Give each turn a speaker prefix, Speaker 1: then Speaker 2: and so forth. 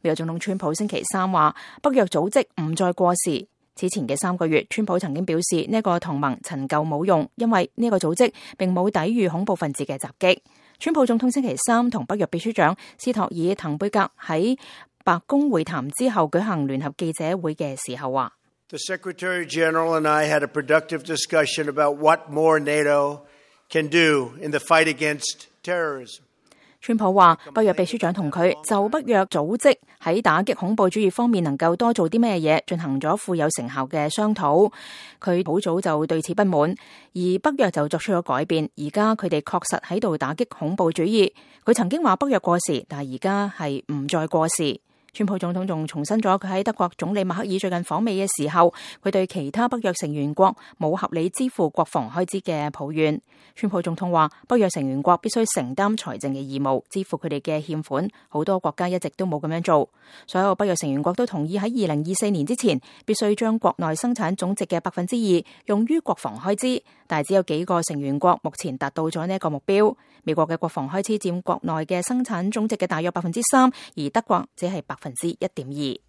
Speaker 1: 美國總統川普星期三話，北約組織唔再過時。此前嘅3個月，川普曾經表示呢個同盟陳舊冇用，因為呢個組織並冇抵禦恐怖分子嘅襲擊。川普總統星期三同北約秘書長斯托爾滕貝格喺白宮會談之後舉行聯合記者會嘅時候話
Speaker 2: ：The Secretary General and I had a productive discussion about what more NATO can do in the fight against terrorism.
Speaker 1: 川普話，北約秘書長同佢就北約組織喺打擊恐怖主義方面能夠多做啲咩嘢進行咗富有成效嘅商討。佢好早就對此不滿，而北約就作出咗改變。而家佢哋確實喺度打擊恐怖主義。佢曾經話北約過時，但係而家係唔再過時。川普總統仲重申咗佢喺德國總理默克爾最近訪美嘅時候，佢對其他北約成員國冇合理支付國防開支嘅抱怨。川普總統話，北約成員國必須承擔財政嘅義務，支付佢哋嘅欠款。好多國家一直都冇咁樣做。所有北約成員國都同意喺2024年之前，必須將國內生產總值嘅2%用於國防開支，但係只有幾個成員國目前達到咗呢一個目標。美國嘅國防開支佔國內嘅生產總值嘅大約3%，而德國只係1.2%。